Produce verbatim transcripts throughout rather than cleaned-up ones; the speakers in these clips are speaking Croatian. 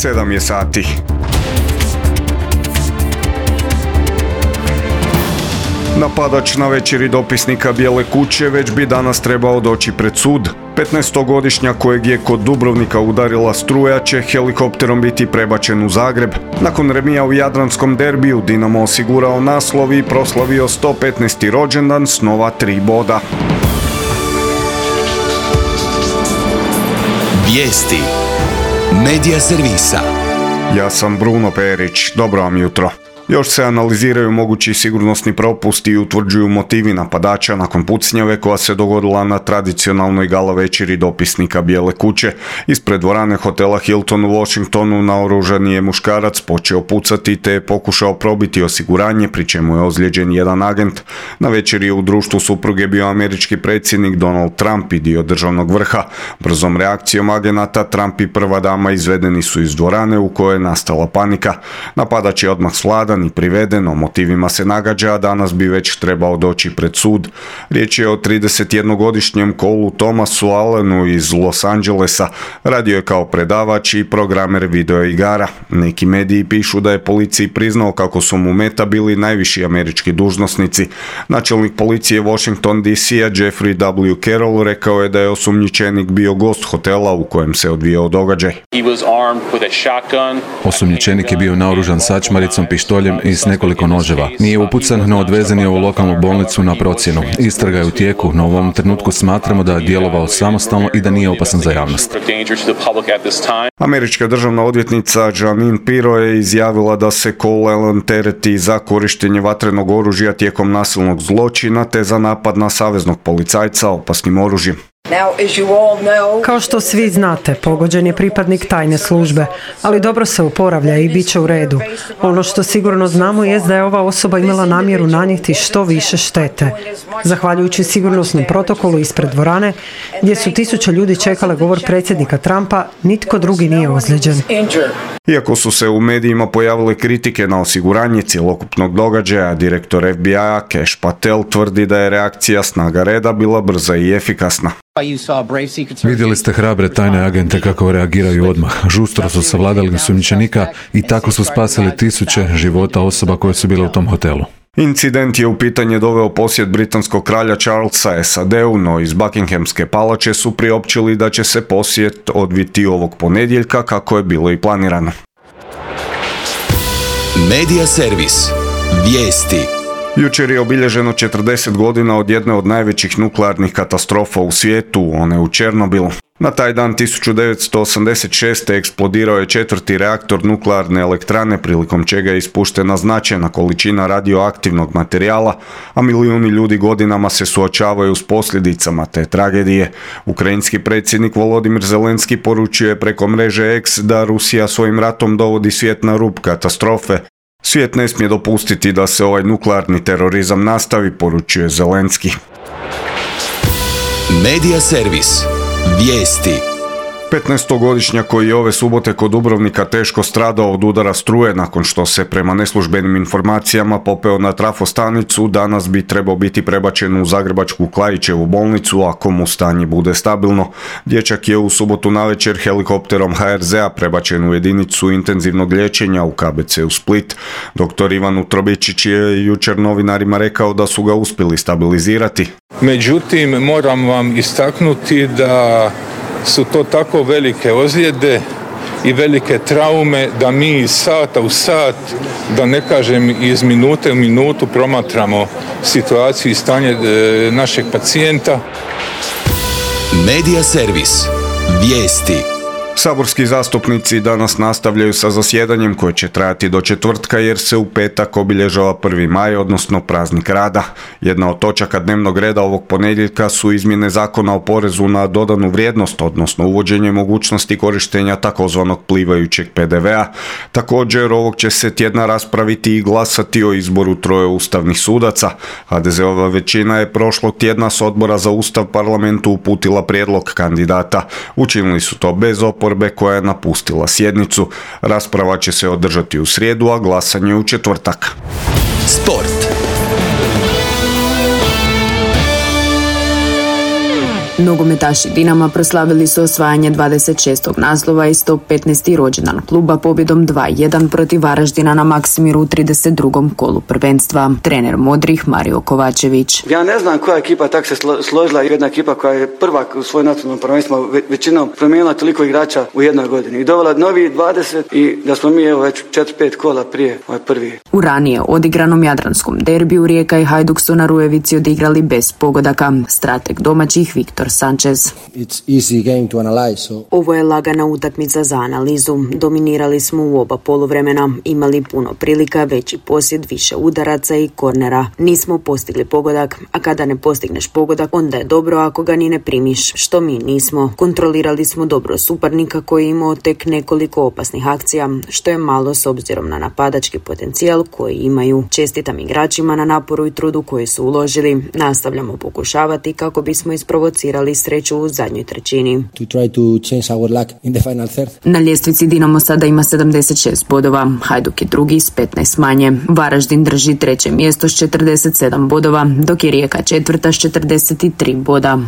sedam je sati. Napadač na večeri dopisnika Bijele kuće već bi danas trebao doći pred sud. petnaestogodišnjak kojeg je kod Dubrovnika udarila struja će helikopterom biti prebačen u Zagreb. Nakon remija u jadranskom derbiju Dinamo osigurao naslov i proslavio sto petnaesti rođendan s nova tri boda. Vijesti Medija servisa. Ja sam Bruno Perić, dobro vam jutro. Još se analiziraju mogući sigurnosni propusti i utvrđuju motivi napadača nakon pucnjave koja se dogodila na tradicionalnoj gala večeri dopisnika Bijele kuće. Ispred dvorane hotela Hilton u Washingtonu naoružani je muškarac počeo pucati te je pokušao probiti osiguranje, pri čemu je ozlijeđen jedan agent. Na večeri je u društvu supruge bio američki predsjednik Donald Trump i dio državnog vrha. Brzom reakcijom agenata Trump i prva dama izvedeni su iz dvorane u kojoj je nastala panika. Napadač je odmah sladan i priveden, o motivima se nagađa, a danas bi već trebao doći pred sud. Riječ je o tridesetjednogodišnjem Colu Thomasu Allenu iz Los Angelesa. Radio je kao predavač i programer video igara. Neki mediji pišu da je policiji priznao kako su mu meta bili najviši američki dužnosnici. Načelnik policije Washington D C-a Jeffrey W. Carroll rekao je da je osumnjičenik bio gost hotela u kojem se odvijao događaj. Osumnjičenik je bio naoružan sačmaricom, pištoljem i s nekoliko noževa. Nije upucan, no odvezen je u lokalnu bolnicu na procjenu. Istraga je u tijeku, no u ovom trenutku smatramo da je djelovao samostalno i da nije opasan za javnost. Američka državna odvjetnica Jeanine Pirro je izjavila da se Cole Allen tereti za korištenje vatrenog oružja tijekom nasilnog zločina te za napad na saveznog policajca opasnim oružjem. Kao što svi znate, pogođen je pripadnik tajne službe, ali dobro se oporavlja i bit će u redu. Ono što sigurno znamo je da je ova osoba imala namjeru nanijeti što više štete. Zahvaljujući sigurnosnom protokolu ispred dvorane, gdje su tisuće ljudi čekale govor predsjednika Trumpa, nitko drugi nije ozlijeđen. Iako su se u medijima pojavile kritike na osiguranje cjelokupnog događaja, direktor F B I-a Cash Patel tvrdi da je reakcija snaga reda bila brza i efikasna. Vidjeli ste hrabre tajne agente kako reagiraju odmah. Žustro su savladali osumnjičenika i tako su spasili tisuće života osoba koje su bile u tom hotelu. Incident je u pitanje doveo posjet britanskog kralja Charlesa S A D-u, no iz Buckinghamske palače su priopćili da će se posjet odviti ovog ponedjeljka kako je bilo i planirano. Medija servis. Vijesti. Jučer je obilježeno četrdeset godina od jedne od najvećih nuklearnih katastrofa u svijetu, one u Černobilu. Na taj dan tisuću devetsto osamdeset šeste. eksplodirao je četvrti reaktor nuklearne elektrane, prilikom čega je ispuštena značajna količina radioaktivnog materijala, a milijuni ljudi godinama se suočavaju s posljedicama te tragedije. Ukrajinski predsjednik Volodimir Zelenski poručio je preko mreže X da Rusija svojim ratom dovodi svijet na rub katastrofe. Svijet ne smije dopustiti da se ovaj nuklearni terorizam nastavi, poručuje Zelenski. Medija servis. Vijesti. petnaestogodišnjak koji je ove subote kod Dubrovnika teško stradao od udara struje nakon što se prema neslužbenim informacijama popeo na trafostanicu, danas bi trebao biti prebačen u zagrebačku Klaićevu bolnicu ako mu stanje bude stabilno. Dječak je u subotu navečer helikopterom H R Z-a prebačen u jedinicu intenzivnog liječenja u K B C u Split. Doktor Ivan Utrobičić je jučer novinarima rekao da su ga uspjeli stabilizirati. Međutim, moram vam istaknuti da su to tako velike ozljede i velike traume da mi iz sata u sat, da ne kažem iz minute u minutu, promatramo situaciju i stanje e, našeg pacijenta. Medija servis. Vijesti. Saborski zastupnici danas nastavljaju sa zasjedanjem koje će trajati do četvrtka jer se u petak obilježava prvi maj, odnosno praznik rada. Jedna od točaka dnevnog reda ovog ponedjeljka su izmjene zakona o porezu na dodanu vrijednost, odnosno uvođenje mogućnosti korištenja takozvanog plivajućeg P D V-a. Također ovog će se tjedna raspraviti i glasati o izboru troje ustavnih sudaca. H D Z-ova većina je prošlog tjedna s Odbora za Ustav parlamentu uputila prijedlog kandidata. Učinili su to bez oporbe koja je napustila sjednicu. Rasprava će se održati u srijedu, a glasanje u četvrtak. Sport. Nogometaši Dinama proslavili su osvajanje dvadeset šestog naslova i sto petnaesti rođendan kluba pobjedom dva jedan protiv Varaždina na Maksimiru u trideset drugom kolu prvenstva. Trener Modrih Mario Kovačević. Ja ne znam koja ekipa tak se složila, jedna ekipa koja je prva u svoj nacionalnom prvenstvu većinom promijenila toliko igrača u jednoj godini i dovela novi dvadeset i da smo mi evo već četiri pet kola prije ovaj prvi. U ranije odigranom jadranskom derbiju Rijeka i Hajduk su na Rujevici odigrali bez pogodaka. Strateg domaćih Viktor Sanchez. So... Ovo je lagana utakmica za analizu. Dominirali smo u oba poluvremena, imali puno prilika, veći posjed, više udaraca i kornera. Nismo postigli pogodak, a kada ne postigneš pogodak, onda je dobro ako ga ni ne primiš, što mi nismo. Kontrolirali smo dobro suparnika koji je imao tek nekoliko opasnih akcija, što je malo s obzirom na napadački potencijal koji imaju. Čestitam igračima na naporu i trudu koji su uložili. Nastavljamo pokušavati kako bismo isprovocirali sreću u zadnjoj trećini. To try to change our luck in the final third. Na ljestvici Dinamo sada ima sedamdeset šest bodova, Hajduk je drugi s petnaest manje. Varaždin drži treće mjesto s četrdeset sedam bodova, dok je Rijeka četvrta s četrdeset tri boda.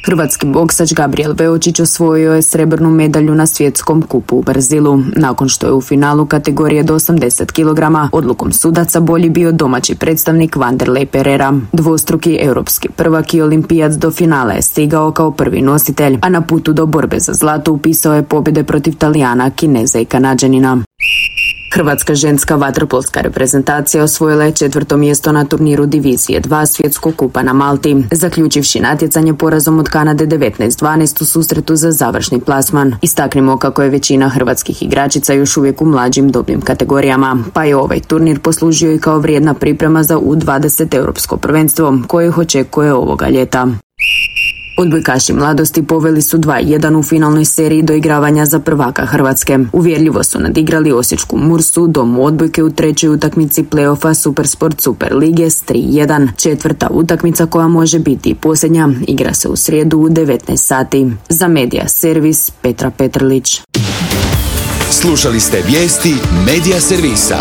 Hrvatski boksač Gabriel Beočić osvojio je srebrnu medalju na svjetskom kupu u Brazilu. Nakon što je u finalu kategorije do osamdeset kilograma odlukom sudaca bolji bio domaći predstavnik Vanderlei Pereira. Dvostruki europski prvak i olimpijac do finala je stigao kao prvi nositelj, a na putu do borbe za zlato upisao je pobjede protiv Talijana, Kineza i Kanađanina. Hrvatska ženska vaterpolska reprezentacija osvojila je četvrto mjesto na turniru Divizije dva svjetskog kupa na Malti, zaključivši natjecanje porazom od Kanade devetnaest dvanaest u susretu za završni plasman. Istaknimo kako je većina hrvatskih igračica još uvijek u mlađim dobnim kategorijama, pa je ovaj turnir poslužio i kao vrijedna priprema za U dvadeset europsko prvenstvo koje ih očekuje ovoga ljeta. Odbojkaši mladosti poveli su dva jedan u finalnoj seriji doigravanja za prvaka Hrvatske. Uvjerljivo su nadigrali osječku Mursu, domu odbojke u trećoj utakmici play-offa Supersport Super Lige s tri jedan. Četvrta utakmica koja može biti i posljednja igra se u srijedu u devetnaest sati. Za Medija Servis Petra Petrlić. Slušali ste vijesti Medija Servisa.